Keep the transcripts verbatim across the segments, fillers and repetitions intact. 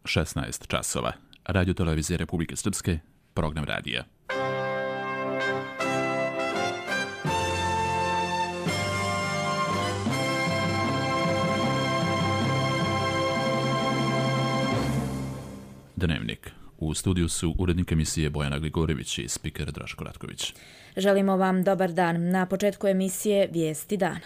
šesnaest časova. Radio televizije Republike Srpske, program radija. Dnevnik. U studiju su urednik emisije Bojana Gligorivić i spiker Draško Ratković. Želimo vam dobar dan. Na početku emisije Vijesti dana.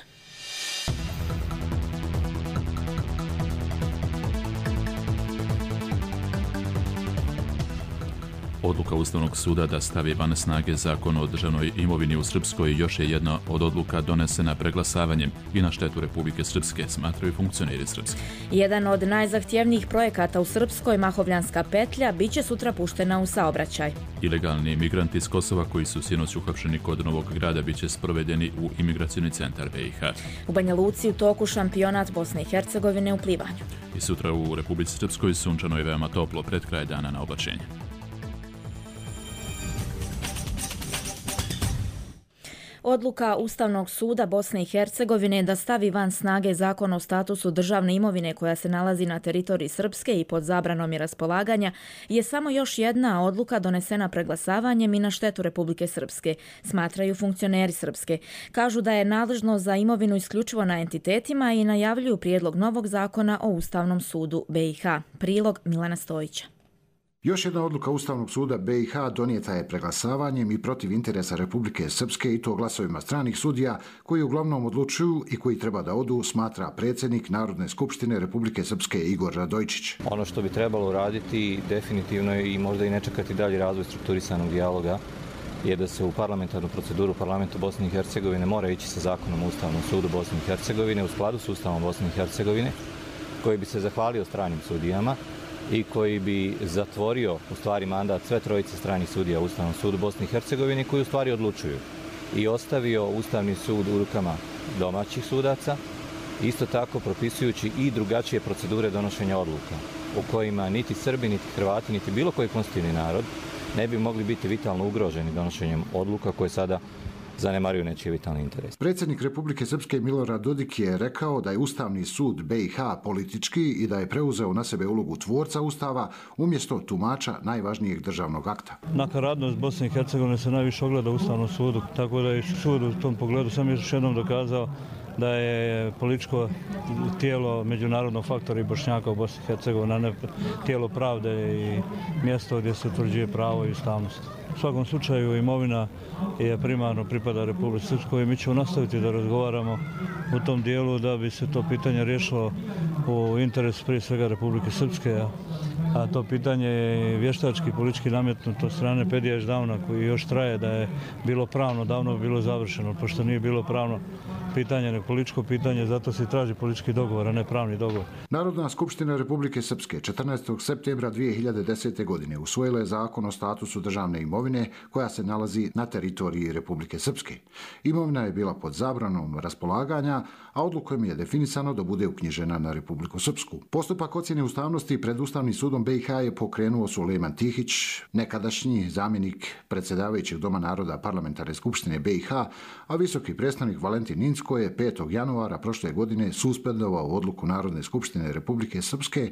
Odluka Ustavnog suda da stavi van snage Zakon o državnoj imovini u Srpskoj još je jedna od odluka donesena preglasavanjem i na štetu Republike Srpske, smatraju funkcioneri Srpske. Jedan od najzahtjevnijih projekata u Srpskoj, Mahovljanska petlja, bit će sutra puštena u saobraćaj. Ilegalni migranti iz Kosova koji su sinoć uhapšeni kod Novog Grada bit će sprovedeni u imigracioni centar B i H. U Banja Luci u toku šampionat Bosne i Hercegovine u plivanju. I sutra u Republici Srpskoj sunčano je veoma toplo pred kraj dana na oblačenje. Odluka Ustavnog suda Bosne i Hercegovine da stavi van snage Zakon o statusu državne imovine koja se nalazi na teritoriji Srpske i pod zabranom i raspolaganja je samo još jedna odluka donesena preglasavanjem i na štetu Republike Srpske, smatraju funkcioneri Srpske. Kažu da je nadležno za imovinu isključivo na entitetima i najavljuju prijedlog novog zakona o Ustavnom sudu B i H. Prilog Milana Stojića. Još jedna odluka Ustavnog suda B i H donijeta je preglasavanjem i protiv interesa Republike Srpske i to glasovima stranih sudija koji uglavnom odlučuju i koji treba da odu, smatra predsjednik Narodne skupštine Republike Srpske Igor Radojčić. Ono što bi trebalo raditi definitivno i možda i ne čekati dalji razvoj strukturisanog dijaloga je da se u parlamentarnu proceduru parlamenta Bosne i Hercegovine mora ići sa zakonom o Ustavnom sudu Bosne i Hercegovine u skladu s Ustavom Bosne i Hercegovine koji bi se zahvalio stranim sudijama i koji bi zatvorio u stvari mandat sve trojice stranih sudija u Ustavnom sudu Bosne i Hercegovine koji u stvari odlučuju i ostavio Ustavni sud u rukama domaćih sudaca, isto tako propisujući i drugačije procedure donošenja odluka u kojima niti Srbi, niti Hrvati, niti bilo koji konstitutivni narod ne bi mogli biti vitalno ugroženi donošenjem odluka koje sada zanemaruju nečiji vitalni interes. Predsjednik Republike Srpske Milorad Dodik je rekao da je Ustavni sud B i H politički i da je preuzeo na sebe ulogu tvorca Ustava umjesto tumača najvažnijeg državnog akta. Nakaradnost Bosne i Hercegovine se najviše ogleda u Ustavnom sudu, tako da je sud u tom pogledu sam još jednom dokazao da je političko tijelo međunarodnog faktora i Bošnjaka u Bosni i Hercegovini, a ne tijelo pravde i mjesto gdje se utvrđuje pravo i ustavnost. U svakom slučaju imovina je primarno pripada Republici Srpskoj i mi ćemo nastaviti da razgovaramo u tom dijelu da bi se to pitanje riješilo u interesu prije svega Republike Srpske, a to pitanje je vještački politički nametnuto od strane Pedija Ždavna koji još traje da je bilo pravno, davno bilo završeno, pošto nije bilo pravno pitanje, nego političko pitanje, zato se traži politički dogovor, a ne pravni dogovor. Narodna skupština Republike Srpske četrnaestog septembra dvije hiljade desete. godine usvojila je zakon o statusu državne imovine koja se nalazi na teritoriji Republike Srpske. Imovina je bila pod zabranom raspolaganja, a odlukom je definisano da bude uknjižena na Republiku Srpsku. Postupak ocjene ustavnosti pred Ustavnim sudom B i H je pokrenuo Sulejman Tihić, nekadašnji zamjenik predsjedavajućeg Doma naroda Parlamentarne skupštine B i H, a visoki predstavnik Valentin Incko je petog januara prošle godine suspendovao odluku Narodne skupštine Republike Srpske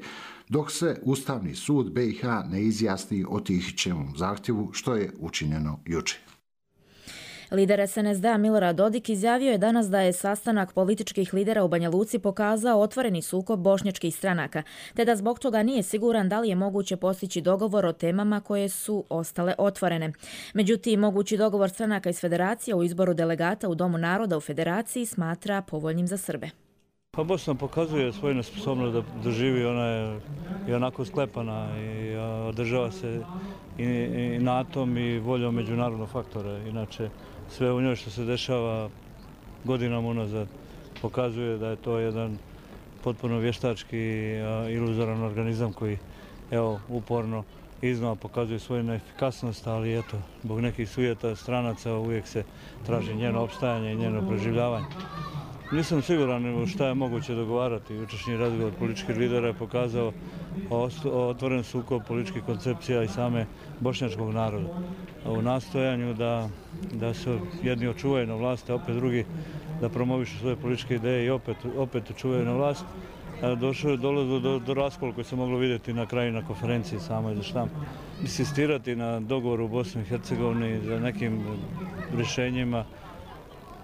dok se Ustavni sud B i H ne izjasni o Tihićevom zahtjevu, što je učinjeno jučer. Lider S N S D-a Milorad Dodik izjavio je danas da je sastanak političkih lidera u Banja Luci pokazao otvoreni sukob bošnjačkih stranaka, te da zbog toga nije siguran da li je moguće postići dogovor o temama koje su ostale otvorene. Međutim, mogući dogovor stranaka iz Federacije u izboru delegata u Domu naroda u Federaciji smatra povoljnim za Srbe. Pa Bosna pokazuje svoju nesposobnost da doživi, ona je i onako sklepana i održava se i, i natom i voljom međunarodnog faktora. Inače, sve u njoj što se dešava godinama unazad pokazuje da je to jedan potpuno vještački iluzoran organizam koji evo uporno iznova pokazuje svoju neefikasnost, ali eto, zbog nekih sujeta stranaca uvijek se traži njeno opstajanje i njeno preživljavanje. Nisam siguran šta je moguće dogovarati. Jučerašnji razgovor političkih lidera je pokazao otvoren sukob političkih koncepcija i same bošnjačkog naroda. U nastojanju da, da se jedni očuvaju na vlasti, a opet drugi da promovišu svoje političke ideje i opet, opet očuvaju na vlast, došlo je dolazilo do, do raskola koji se moglo vidjeti na kraju na konferenciji samoj za štampu. Insistirati na dogovoru u Bosni i Hercegovini za nekim rješenjima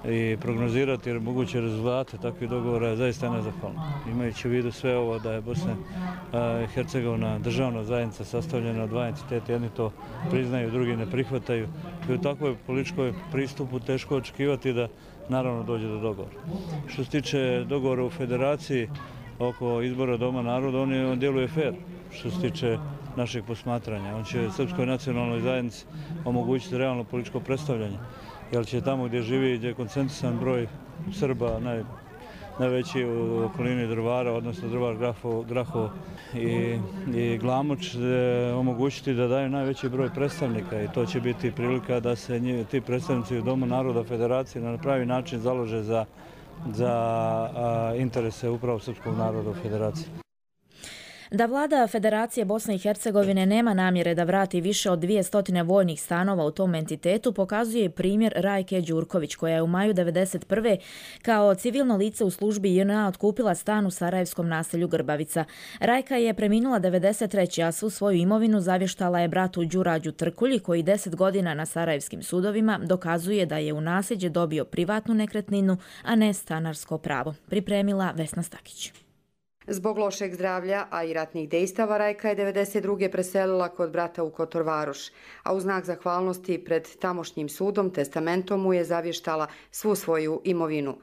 i prognozirati jer moguće rezultate takvih dogovora je zaista nezahvalno. Imajući u vidu sve ovo da je Bosna i Hercegovina državna zajednica sastavljena od dva entiteta, jedni to priznaju, drugi ne prihvataju. I u takvoj političkoj pristupu teško očekivati da naravno dođe do dogovora. Što se tiče dogovora u federaciji oko izbora Doma naroda, on, je, on djeluje fair što se tiče našeg posmatranja. On će Srpskoj nacionalnoj zajednici omogućiti realno političko predstavljanje. Jer će tamo gdje živi, gdje je koncentrisan broj Srba, naj, najveći u okolini Drvara, odnosno Drvar, Grahovo, Grahovo i, i Glamoč, omogućiti da daju najveći broj predstavnika i to će biti prilika da se nji, ti predstavnici u Domu naroda federacije na pravi način založe za, za a, interese upravo srpskog naroda u federaciji. Da vlada Federacije Bosne i Hercegovine nema namjere da vrati više od dvjesto vojnih stanova u tom entitetu pokazuje i primjer Rajke Đurković, koja je u maju devedeset prve kao civilno lice u službi J N A otkupila stan u sarajevskom naselju Grbavica. Rajka je preminula devedeset treće a svu svoju imovinu zavještala je bratu Đurađu Trkulji, koji deset godina na sarajevskim sudovima dokazuje da je u nasljeđe dobio privatnu nekretninu, a ne stanarsko pravo. Pripremila Vesna Stakić. Zbog lošeg zdravlja, a i ratnih dejstava, Rajka je devedeset druge preselila kod brata u Kotor Varoš, a u znak zahvalnosti pred tamošnjim sudom testamentom mu je zavještala svu svoju imovinu.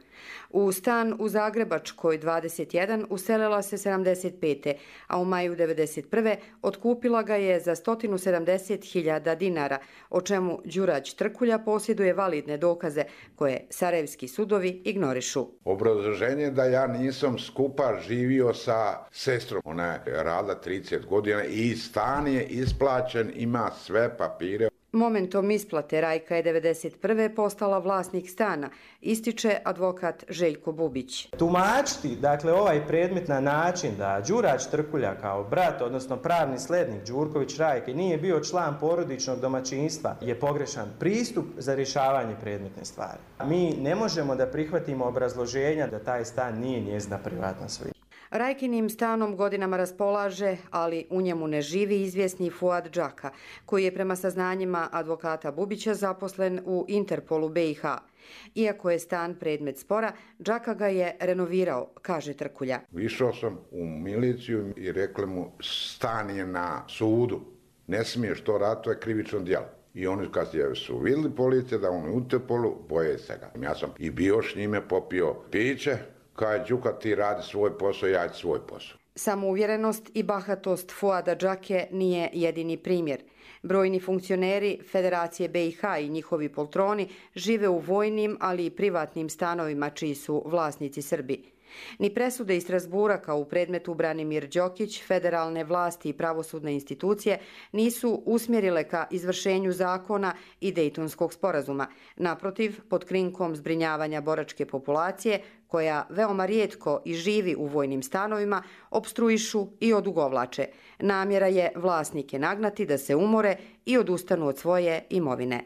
U stan u Zagrebačkoj dvadeset jedan uselila se sedamdeset pete a u maju devedeset prve otkupila ga je za sto sedamdeset hiljada dinara, o čemu Đurađ Trkulja posjeduje validne dokaze koje sarajevski sudovi ignorišu. Obrazloženje da ja nisam skupa živio sa sestrom. Ona je radila trideset godina i stan je isplaćen, ima sve papire. Momentom isplate Rajka je devedeset prve postala vlasnik stana, ističe advokat Željko Bubić. Tumačiti, dakle, ovaj predmet na način da Đurađ Trkulja kao brat, odnosno pravni slednik Đurković Rajke nije bio član porodičnog domaćinstva je pogrešan pristup za rješavanje predmetne stvari. Mi ne možemo da prihvatimo obrazloženja da taj stan nije njezina privatna svojina. Rajkinim stanom godinama raspolaže, ali u njemu ne živi izvjesni Fuad Džaka, koji je prema saznanjima advokata Bubića zaposlen u Interpolu B i H. Iako je stan predmet spora, Džaka ga je renovirao, kaže Trkulja. Išao sam u miliciju i rekli mu stan je na sudu, ne smiješ to raditi, to je krivično djelo. I oni kad su vidjeli policije da on je u Interpolu, boje se ga. Ja sam i bio s njime, popio piće. Kaj Đuka, ti radi svoj posao, ja ću svoj posao. Samouvjerenost i bahatost Fuada Džake nije jedini primjer. Brojni funkcioneri Federacije B i H i njihovi poltroni žive u vojnim, ali i privatnim stanovima čiji su vlasnici Srbi. Ni presude iz Strasbura kao u predmetu Branimir Đokić, federalne vlasti i pravosudne institucije nisu usmjerile ka izvršenju zakona i Dejtonskog sporazuma. Naprotiv, pod krinkom zbrinjavanja boračke populacije, koja veoma rijetko i živi u vojnim stanovima, opstruišu i odugovlače. Namjera je vlasnike nagnati da se umore i odustanu od svoje imovine.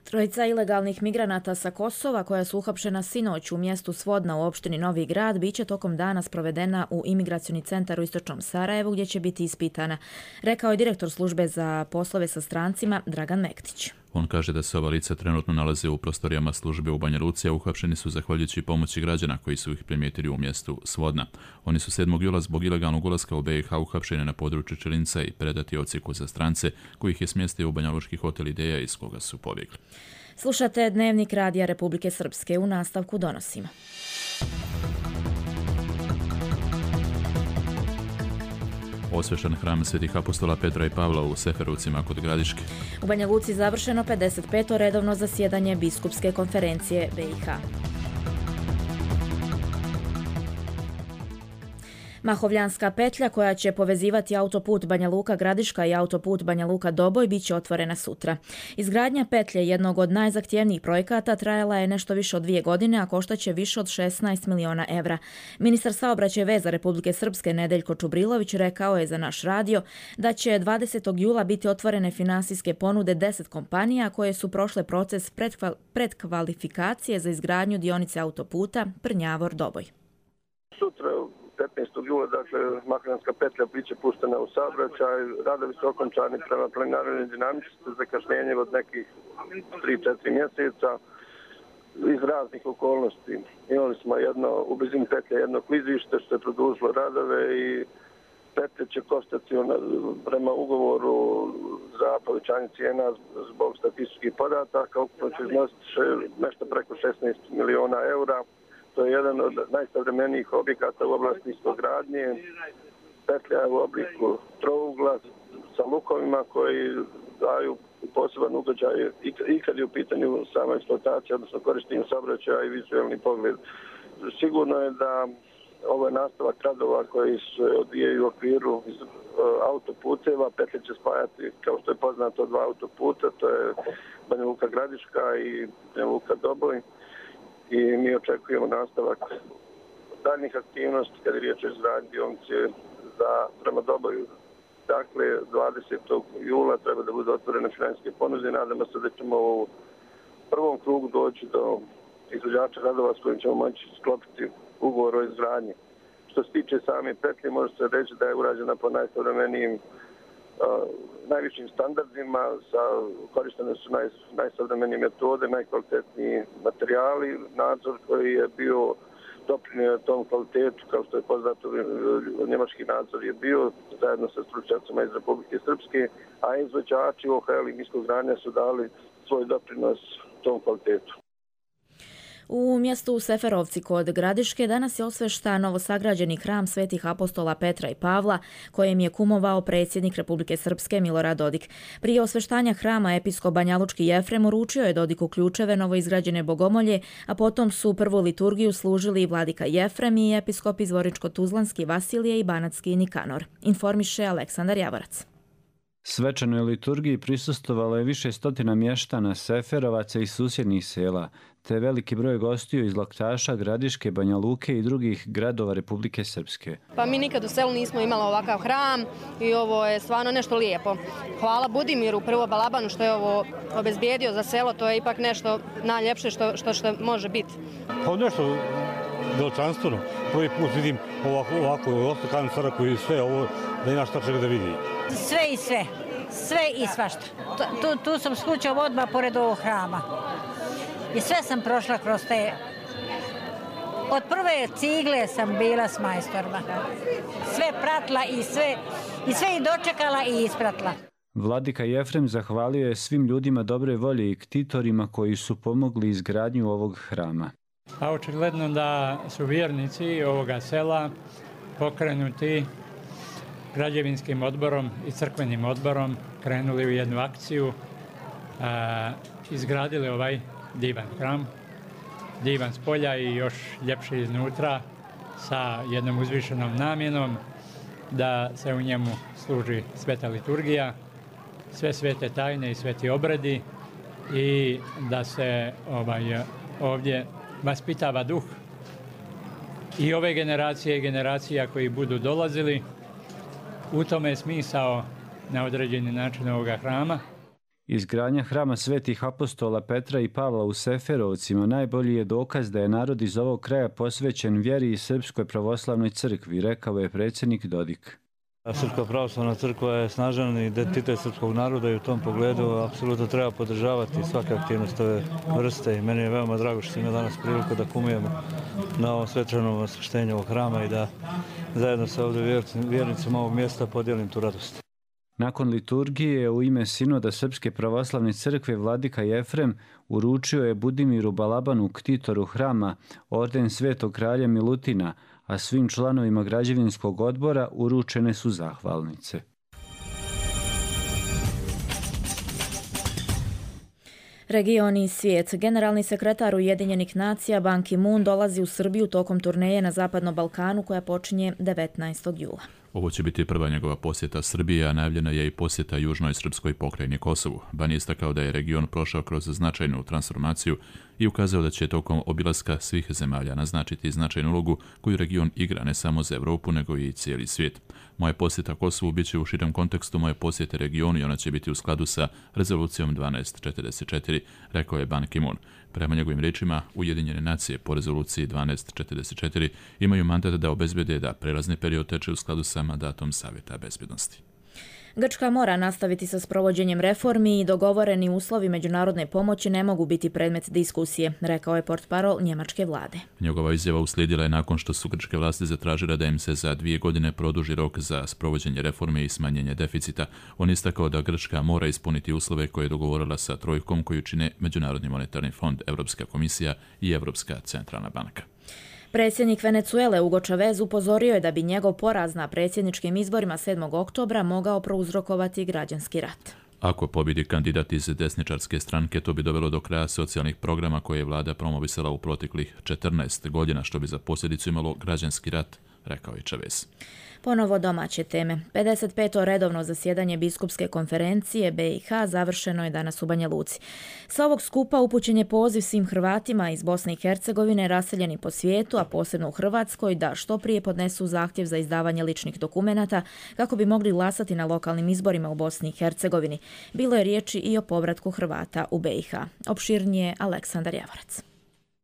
Trojica ilegalnih migranata sa Kosova, koja su uhapšena sinoć u mjestu Svodna u opštini Novi Grad, biće tokom dana sprovedena u imigracioni centar u istočnom Sarajevu, gdje će biti ispitana, rekao je direktor službe za poslove sa strancima Dragan Mektić. On kaže da se ova lica trenutno nalaze u prostorijama službe u Banja Luci, a uhapšeni su zahvaljujući pomoći građana koji su ih primijetili u mjestu Svodna. Oni su sedmog jula zbog ilegalnog ulaska u B i H uhapšeni na području Čelinca i predati odsjeku za strance, koji ih je smjestio u Banja Lučki hotel Ideja iz koga su pobjegli. Slušate Dnevnik Radija Republike Srpske, u nastavku donosimo. Osvešan hram svetih apostola Petra i Pavla u Seferovcima kod Gradiške. U Banja Luci završeno pedeset peto redovno zasjedanje biskupske konferencije B i H. Mahovljanska petlja, koja će povezivati autoput Banja Luka-Gradiška i autoput Banja Luka-Doboj, bit će otvorena sutra. Izgradnja petlje, jednog od najzahtjevnijih projekata, trajala je nešto više od dvije godine, a koštaće više od šesnaest miliona evra. Ministar saobraćaja i veza Republike Srpske Nedeljko Čubrilović rekao je za naš radio da će dvadesetog jula biti otvorene finansijske ponude deset kompanija koje su prošle proces predkvalifikacije za izgradnju dionice autoputa Prnjavor-Doboj. Sutra petnaestog jula, dakle, Makadamska petlja biće puštena u saobraćaj. Radovi su okončani prema planiranoj dinamici sa zakašnjenjem od nekih tri do četiri mjeseca iz raznih okolnosti. Imali smo jedno, u blizini petlja jedno klizište što je produžilo radove i petlje će koštati prema ugovoru za povećanje cijena zbog statističkih podataka. Ukupno će iznositi nešto preko šesnaest miliona eura. To je jedan od najsavremenijih objekata u oblasti niskogradnje. Petlja je u obliku trougla sa lukovima koji daju poseban ugođaj i kad je u pitanju sama eksploatacija, odnosno korištenje saobraćaja i vizualni pogled. Sigurno je da ovo je nastavak radova koji se odvijaju u okviru autoputeva. Petlja će spajati, kao što je poznato, dva autoputa, to je Banja Luka Gradiška i Banja Luka Doboj. I mi očekujemo nastavak daljnjih aktivnosti kada je riječ o izgradnji dionice za prema Doboju. Dakle, dvadesetog jula treba da bude otvorene financijske ponude. Nadamo se da ćemo u prvom krugu doći do izvođača radova s kojim ćemo moći sklopiti ugovor o izgradnji. Što se tiče same petlje, može se reći da je urađena po najsavremenijim uh, najvišim standardima, sa, korištene su naj, najsavremenije metode, najkvalitetniji materijali, nadzor koji je bio doprinio tom kvalitetu, kao što je poznato, njemački nadzor je bio zajedno sa stručnjacima iz Republike Srpske, a izvođači O H L i niskogradnja su dali svoj doprinos tom kvalitetu. U mjestu Seferovci kod Gradiške danas je osveštan novosagrađeni hram svetih apostola Petra i Pavla, kojem je kumovao predsjednik Republike Srpske Milorad Dodik. Prije osveštanja hrama episkop banjalučki Jefrem uručio je Dodiku ključeve novoizgrađene bogomolje, a potom su prvu liturgiju služili vladika Jefrem i episkop Zvorničko-Tuzlanski Vasilije i Banatski Nikanor. Informiše Aleksandar Javorac. Svečanoj liturgiji prisustvovalo je više stotina mještana Seferovaca i susjednih sela, te veliki broj gostiju iz Laktaša, Gradiške, Banja Luke i drugih gradova Republike Srpske. Pa mi nikad u selu nismo imali ovakav hram i ovo je stvarno nešto lijepo. Hvala Budimiru, prvo Balabanu što je ovo obezbijedio za selo, to je ipak nešto najljepše što, što, što može biti. Pa nešto veličanstveno. Prvi put vidim ovako, ovako ostakanu crkvu i sve ovo, da ima šta čega da vidi. Sve i sve, sve i svašta. Tu, tu sam slučao odmah pored ovog hrama. I sve sam prošla kroz te... Od prve cigle sam bila s majstorima. Sve pratila i sve, i sve i dočekala i ispratila. Vladika Jefrem zahvalio je svim ljudima dobre volje i ktitorima koji su pomogli izgradnju ovog hrama. A očigledno da su vjernici ovoga sela pokrenuti građevinskim odborom i crkvenim odborom krenuli u jednu akciju, a, izgradili ovaj divan hram, divan s polja i još ljepši iznutra sa jednom uzvišenom namjenom da se u njemu služi sveta liturgija, sve svete tajne i sveti obredi i da se ovaj, ovdje vaspitava duh i ove generacije i generacija koji budu dolazili. U tome je smisao na određeni način ovoga hrama. Izgradnja hrama svetih apostola Petra i Pavla u Seferovcima najbolji je dokaz da je narod iz ovog kraja posvećen vjeri i Srpskoj pravoslavnoj crkvi, rekao je predsjednik Dodik. Srpska pravoslavna crkva je snažan identitet srpskog naroda i u tom pogledu apsolutno treba podržavati svake aktivnosti ove vrste i meni je veoma drago što imamo danas priliku da kumujemo na ovom svečanom osveštenju ovog hrama i da zajedno sa ovdje vjernicima ovog mjesta podijelim tu radost. Nakon liturgije u ime Sinoda Srpske pravoslavne crkve vladika Jefrem uručio je Budimiru Balabanu, ktitoru hrama, orden Svetog kralja Milutina, a svim članovima građevinskog odbora uručene su zahvalnice. Region i svijet. Generalni sekretar Ujedinjenih nacija Ban Ki-moon dolazi u Srbiju tokom turneje na Zapadnom Balkanu koja počinje devetnaestog jula. Ovo će biti prva njegova posjeta Srbije, a najavljena je i posjeta južnoj srpskoj pokrajini Kosovu. Ban je istakao da je region prošao kroz značajnu transformaciju i ukazao da će tokom obilaska svih zemalja naznačiti značajnu ulogu koju region igra ne samo za Evropu, nego i cijeli svijet. Moja posjeta Kosovu bit će u širem kontekstu moje posjete regionu i ona će biti u skladu sa rezolucijom dvanaest četrdeset četiri, rekao je Ban Ki-moon. Prema njegovim riječima, Ujedinjene nacije po rezoluciji dvanaest četrdeset četiri imaju mandat da obezbede da prelazni period teče u skladu sa mandatom Savjeta bezbjednosti. Grčka mora nastaviti sa sprovođenjem reformi i dogovoreni uslovi međunarodne pomoći ne mogu biti predmet diskusije, rekao je portparol njemačke vlade. Njegova izjava uslijedila je nakon što su grčke vlasti zatražile da im se za dvije godine produži rok za sprovođenje reforme i smanjenje deficita. On istakao da Grčka mora ispuniti uslove koje je dogovorila sa trojkom koju čine Međunarodni monetarni fond, Europska komisija i Europska centralna banka. Predsjednik Venezuele Hugo Chavez upozorio je da bi njegov poraz na predsjedničkim izborima sedmog oktobra mogao prouzrokovati građanski rat. Ako pobjedi kandidat iz desničarske stranke, to bi dovelo do kraja socijalnih programa koje je vlada promovisala u proteklih četrnaest godina, što bi za posljedicu imalo građanski rat, rekao je Chavez. Ponovo domaće teme. pedeset peto redovno zasjedanje biskupske konferencije B i H završeno je danas u Banja Luci. Sa ovog skupa upućen je poziv svim Hrvatima iz Bosne i Hercegovine raseljeni po svijetu, a posebno u Hrvatskoj, da što prije podnesu zahtjev za izdavanje ličnih dokumenata kako bi mogli glasati na lokalnim izborima u Bosni i Hercegovini. Bilo je riječi i o povratku Hrvata u B i H. Opširnije Aleksandar Javorac.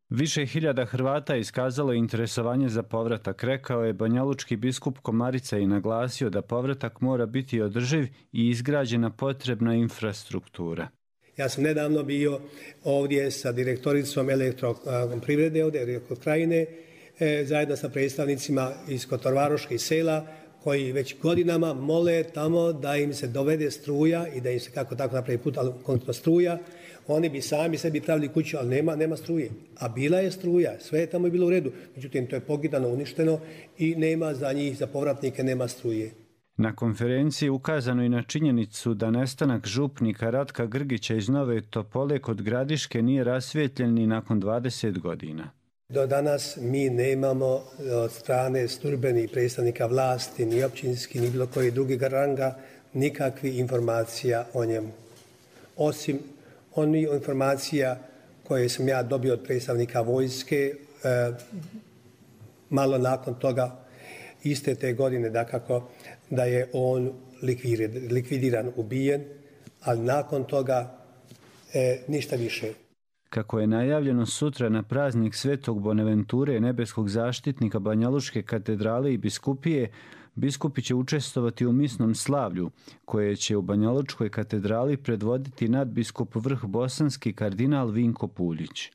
Više hiljada Hrvata iskazalo je interesovanje za povratak, rekao je banjalučki biskup Komarica i naglasio da povratak mora biti održiv i izgrađena potrebna infrastruktura. Ja sam nedavno bio ovdje sa direktoricom elektroprivrede ovdje kod Krajine, zajedno sa predstavnicima iz Kotorvaroških sela, koji već godinama mole tamo da im se dovede struja i da im se kako tako napravi put, ali konkretno struja. Oni bi sami sebi pravili kuću, ali nema, nema struje. A bila je struja, sve je tamo bilo u redu. Međutim, to je pogidano, uništeno i nema za njih, za povratnike, nema struje. Na konferenciji ukazano i na činjenicu da nestanak župnika Ratka Grgića iz Nove Topole kod Gradiške nije rasvijetljen ni nakon dvadeset godina. Do danas mi nemamo od strane službenih predstavnika vlasti, ni općinski, ni bilo koji drugi ranga, nikakvih informacija o njemu. Osim onih informacija koje sam ja dobio od predstavnika vojske, e, malo nakon toga, iste te godine, dakako, da je on likvidiran, ubijen, ali nakon toga e, ništa više. Kako je najavljeno sutra na praznik Svetog Bonaventure, nebeskog zaštitnika Banjalučke katedrale i biskupije, biskupi će učestvovati u misnom slavlju, koje će u Banjalučkoj katedrali predvoditi nadbiskup vrh bosanski kardinal Vinko Puljić.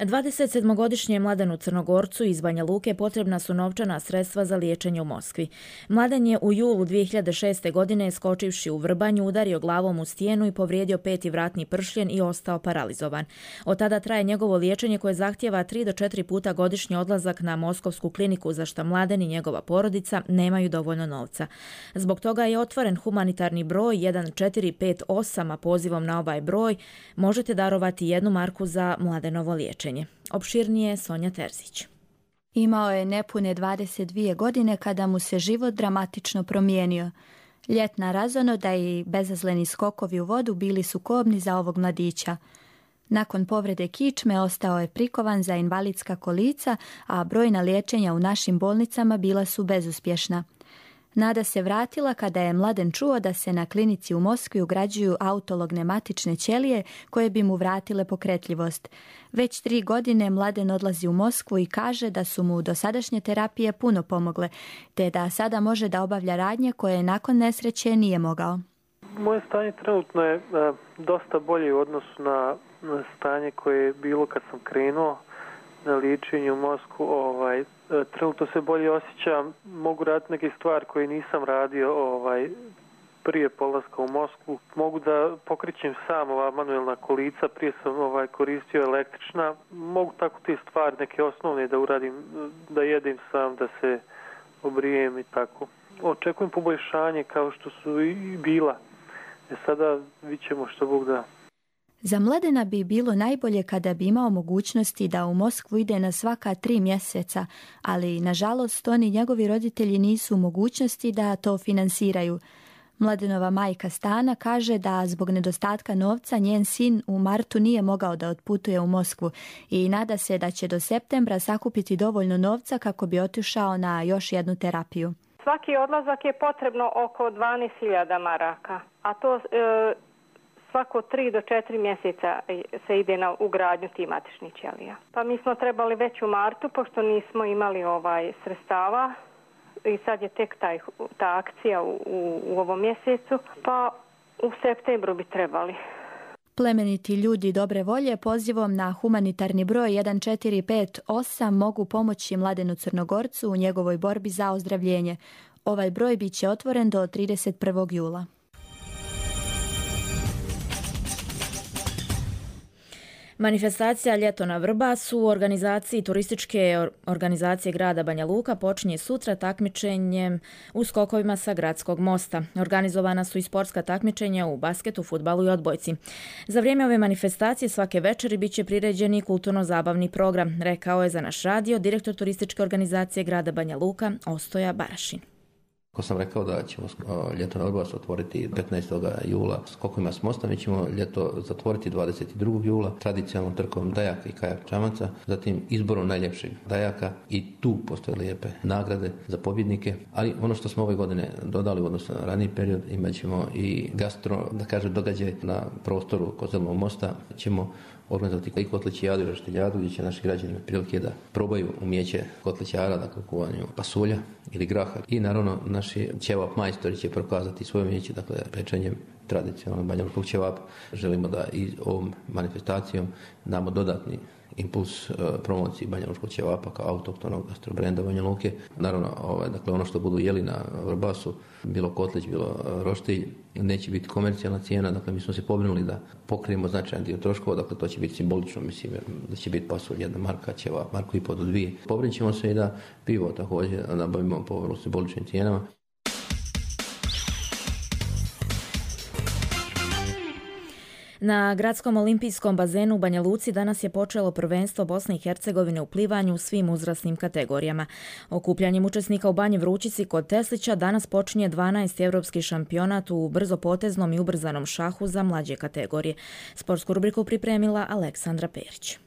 dvadesetsedmogodišnjem Mladenu Crnogorcu iz Banja Luke potrebna su novčana sredstva za liječenje u Moskvi. Mladen je u julu dvije hiljade šeste. godine skočivši u Vrbanju udario glavom u stijenu i povrijedio peti vratni pršljen i ostao paralizovan. Od tada traje njegovo liječenje koje zahtjeva tri do četiri puta godišnji odlazak na Moskovsku kliniku, za što Mladen i njegova porodica nemaju dovoljno novca. Zbog toga je otvoren humanitarni broj jedan četiri pet osam, a pozivom na ovaj broj možete darovati jednu marku za Mladenovo liječenje. Opširnije Sonja Terzić. Imao je nepune dvadeset dvije godine kada mu se život dramatično promijenio. Ljetna razonoda i bezazleni skokovi u vodu bili su kobni za ovog mladića. Nakon povrede kičme ostao je prikovan za invalidska kolica, a brojna liječenja u našim bolnicama bila su bezuspješna. Nada se vratila kada je Mladen čuo da se na klinici u Moskvi ugrađuju autologne matične ćelije koje bi mu vratile pokretljivost. Već tri godine Mladen odlazi u Moskvu i kaže da su mu dosadašnje terapije puno pomogle, te da sada može da obavlja radnje koje nakon nesreće nije mogao. Moje stanje trenutno je a, dosta bolje u odnosu na, na stanje koje je bilo kad sam krenuo na liječenju u Moskvu. Ovaj, trenutno se bolje osjećam, mogu raditi neke stvari koje nisam radio ovaj, prije polaska u Moskvu. Mogu da pokrećem sam ova manuelna kolica, prije sam ovaj, koristio električna. Mogu tako te stvari, neke osnovne da uradim, da jedem sam, da se obrijem i tako. Očekujem poboljšanje kao što su i bila. E sada vidjet ćemo što Bog da. Za Mladena bi bilo najbolje kada bi imao mogućnosti da u Moskvu ide na svaka tri mjeseca, ali nažalost oni i njegovi roditelji nisu u mogućnosti da to finansiraju. Mladenova majka Stana kaže da zbog nedostatka novca njen sin u martu nije mogao da otputuje u Moskvu i nada se da će do septembra sakupiti dovoljno novca kako bi otišao na još jednu terapiju. Svaki odlazak je potrebno oko dvanaest hiljada maraka, a to e, svako tri do četiri mjeseca se ide na ugradnju tih matičnih ćelija. Pa mi smo trebali već u martu, pošto nismo imali ovaj sredstava, i sad je tek taj, ta akcija u, u, u ovom mjesecu, pa u septembru bi trebali. Plemeniti ljudi dobre volje pozivom na humanitarni broj jedan četiri pet osam mogu pomoći Mladenu Crnogorcu u njegovoj borbi za ozdravljenje. Ovaj broj bit će otvoren do trideset prvog jula. Manifestacija Ljeto na Vrbasu u organizaciji turističke organizacije grada Banja Luka počinje sutra takmičenjem u skokovima sa gradskog mosta. Organizovana su i sportska takmičenja u basketu, fudbalu i odbojci. Za vrijeme ove manifestacije svake večeri bit će priređen i kulturno-zabavni program, rekao je za naš radio direktor turističke organizacije grada Banja Luka Ostoja Barašin. Ako sam rekao da ćemo ljeto na Vrbasu otvoriti petnaestog jula skokovima s mosta, mi ćemo ljeto zatvoriti dvadeset drugog jula tradicionalnom trkom dajaka i kajak čamaca, zatim izborom najljepšeg dajaka i tu postoje lijepe nagrade za pobjednike, ali ono što smo ove godine dodali u odnosu na raniji period, imat ćemo i gastro, da kažem, događaj na prostoru kod Zelenog mosta, ćemo organizovati i kotlićijadu i roštiljadu gdje će naši građani imati prilike da probaju umijeće kotlićara, dakle kuvanju pasulja ili graha. I naravno naši ćevap majstori će prokazati svoje umijeće, dakle pečenjem tradicionalnog banjalučkog ćevapa. Želimo da i ovom manifestacijom damo dodatni impuls uh, promociji banjalučkog ćevapa kao autohtonog gastrobrenda Banja Luke. Naravno, ovaj, dakle, ono što budu jeli na Vrbasu, bilo kotlić, bilo uh, roštilj, neće biti komercijalna cijena, dakle mi smo se pobrinuli da pokrijemo značajan dio troškova, dakle to će biti simbolično, mislim da će biti pasulj jedna marka, ćevap marku i po do dvije. Pobrinit ćemo se i da pivo također nabavimo po vrlo simboličnim cijenama. Na gradskom olimpijskom bazenu u Banja Luci danas je počelo prvenstvo Bosne i Hercegovine u plivanju u svim uzrasnim kategorijama. Okupljanjem učesnika u Banji Vrućici kod Teslića danas počinje dvanaesti europski šampionat u brzopoteznom i ubrzanom šahu za mlađe kategorije. Sportsku rubriku pripremila Aleksandra Perić.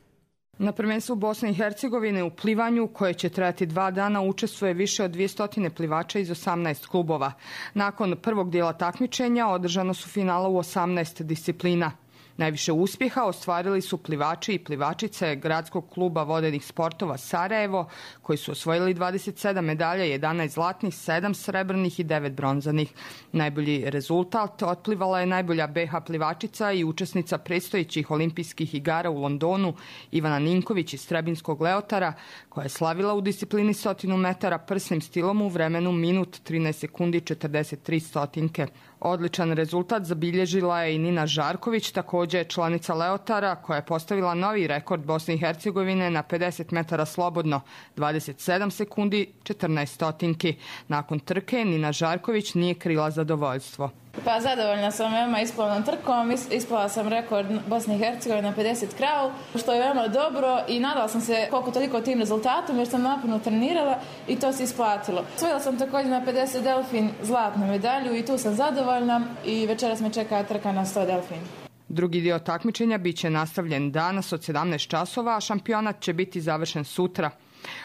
Na prvenstvu Bosne i Hercegovine u plivanju, koje će trajati dva dana, učestvuje više od dvjesto plivača iz osamnaest klubova. Nakon prvog dijela takmičenja održano su finala u osamnaest disciplina. Najviše uspjeha ostvarili su plivači i plivačice Gradskog kluba vodenih sportova Sarajevo, koji su osvojili dvadeset sedam medalja, jedanaest zlatnih, sedam srebrnih i devet bronzanih. Najbolji rezultat otplivala je najbolja be ha plivačica i učesnica predstojećih olimpijskih igara u Londonu Ivana Ninković iz Trebinskog Leotara, koja je slavila u disciplini stotinu metara prsnim stilom u vremenu minut trinaest sekundi četrdeset tri stotinke. Odličan rezultat zabilježila je i Nina Žarković, također je članica Leotara, koja je postavila novi rekord Bosne i Hercegovine na pedeset metara slobodno, dvadeset sedam sekundi četrnaest stotinki. Nakon trke Nina Žarković nije krila zadovoljstvo. Pa zadovoljna sam veoma isplavnom trkom, ispala sam rekord Bosne i Hercegovine na pedeset krav, što je veoma dobro i nadala sam se koliko toliko tim rezultatom jer sam naporno trenirala i to se isplatilo. Osvojila sam također na pedeset delfin zlatnu medalju i tu sam zadovoljna i večeras me čeka trka na sto delfin. Drugi dio takmičenja bit će nastavljen danas od sedamnaest časova, a šampionat će biti završen sutra.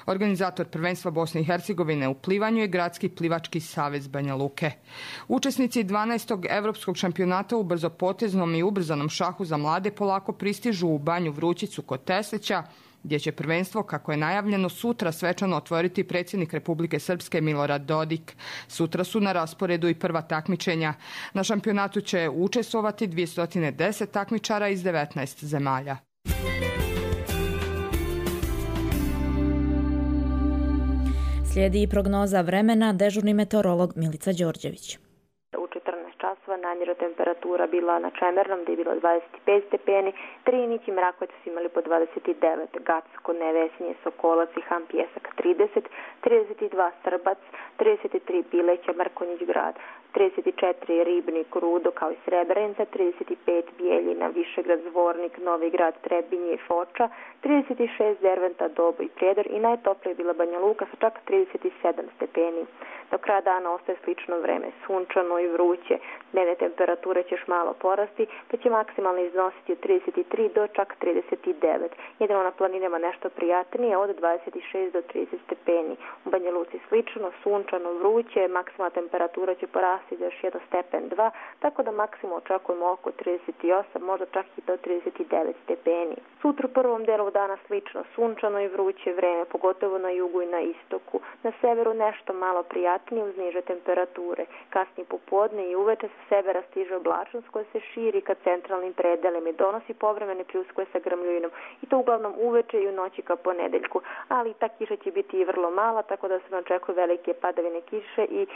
Organizator prvenstva Bosne i Hercegovine u plivanju je Gradski plivački savez Banja Luke. Učesnici dvanaestog evropskog šampionata u brzopoteznom i ubrzanom šahu za mlade polako pristižu u Banju Vrućicu kod Teslića, gdje će prvenstvo, kako je najavljeno, sutra svečano otvoriti predsjednik Republike Srpske Milorad Dodik. Sutra su na rasporedu i prva takmičenja. Na šampionatu će učestvovati dvjesto deset takmičara iz devetnaest zemalja. Slijedi i prognoza vremena, dežurni meteorolog Milica Đorđević. U četrnaest časova namjera temperatura bila na Čemernom, gdje je bilo dvadeset pet stepeni, Trinić i Mrakovac su imali po dvadeset devet, Gacko, Nevesinje, Sokolac i Ham Pjesak trideset, trideset dva Srbac, trideset tri Bileća, Mrkonjić Grad, trideset četiri Ribnik, Rudo kao i Srebrenica, trideset pet Bijeljina, Višegrad, Zvornik, Novi Grad, Trebinje i Foča, trideset šest Derventa, Dobo i Prijedor i najtoplije je bila Banja Luka sa čak trideset sedam stepeni. Do kraja dana ostaje slično vreme, sunčano i vruće. Dnevne temperature će još malo porasti, pa će maksimalno iznositi od trideset tri do čak trideset devet. Jedino na planinama nešto prijatnije od dvadeset šest do trideset stepeni. U Banja Luci slično, sunčano, vruće, maksimalna temperatura će porasti za još jedan stepen dva, tako da maksimum očekujemo oko trideset osam, možda čak i do trideset devet stepeni. Sutra u prvom delu dana slično, sunčano i vruće vreme, pogotovo na jugu i na istoku. Na severu nešto malo prijatnije uz niže temperature. Kasnije popodne i uveče sa severa stiže oblačnost koja se širi ka centralnim predelima i donosi povremene pljuskove sa grmljuvinom i to uglavnom uveče i u noći ka ponedeljku, ali ta kiša će biti i vrlo mala, tako da se ne očekuje velike padavine kiše i e,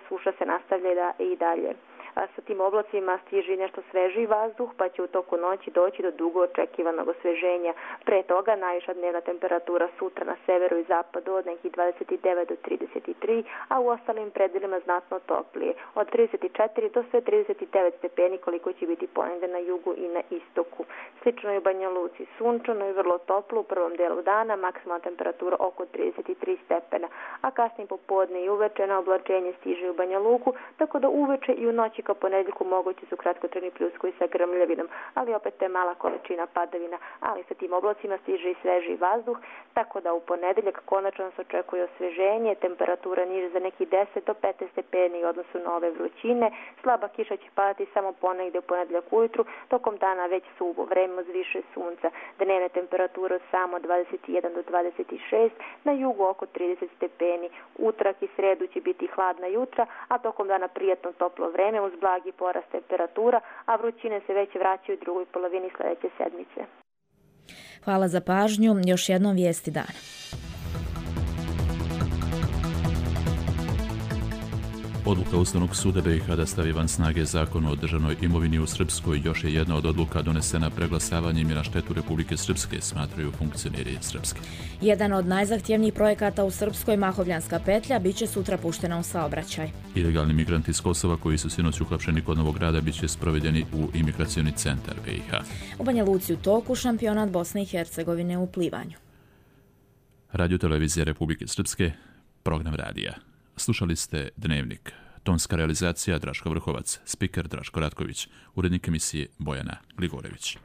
suša se nastavlja da, i dalje. A sa tim oblacima stiže nešto svežiji vazduh, pa će u toku noći doći do dugo očekivanog osveženja. Pre toga najviša dnevna temperatura sutra na severu i zapadu od nekih dvadeset devet do trideset tri, a u ostalim predelima znatno toplije. Od trideset četiri do sve trideset devet stepeni koliko će biti ponegde na jugu i na istoku. Slično je u Banja Luci, sunčano i vrlo toplo u prvom delu dana, maksimalna temperatura oko trideset tri stepena, a kasnije popodne i uveče na oblačenje stiže u Banja Luku, tako da uveče i u noći ka ponedeljku mogući su kratkotrajni pljuskovi sa grmljavinom, ali opet je mala količina padavina, ali sa tim oblacima stiže i sveži vazduh, tako da u ponedeljak konačno se očekuje osveženje, temperatura niže za nekih deset do petnaest stepeni u odnosu na ove vrućine, slaba kiša će padati samo ponegde u ponedeljak ujutru, tokom dana već suvo vreme uz više sunca, dnevne temperature samo dvadeset jedan do dvadeset šest, na jugu oko trideset stepeni, utorak i sredu će biti hladna jutra, a tokom dana prijatno toplo vreme uz blagi porast temperatura, a vrućine se već vraćaju u drugoj polovini sledeće sedmice. Hvala za pažnju. Još jednom vijesti dana. Odluka Ustavnog suda B i H da stavi van snage Zakon o državnoj imovini u Srpskoj još je jedna od odluka donesena preglasavanjem i na štetu Republike Srpske, smatraju funkcioneri Srpske. Jedan od najzahtjevnijih projekata u Srpskoj, Mahovljanska petlja, bit će sutra puštena u saobraćaj. Ilegalni migranti iz Kosova koji su sinoć uhapšeni kod Novog Grada bit će sprovedeni u imigracioni centar B i H. U Banja Luci u toku šampionat Bosne i Hercegovine u plivanju. Radio televizija Republike Srpske, program radija. Slušali ste Dnevnik. Tonska realizacija Draško Vrhovac, spiker Draško Ratković, urednik emisije Bojana Gligorević.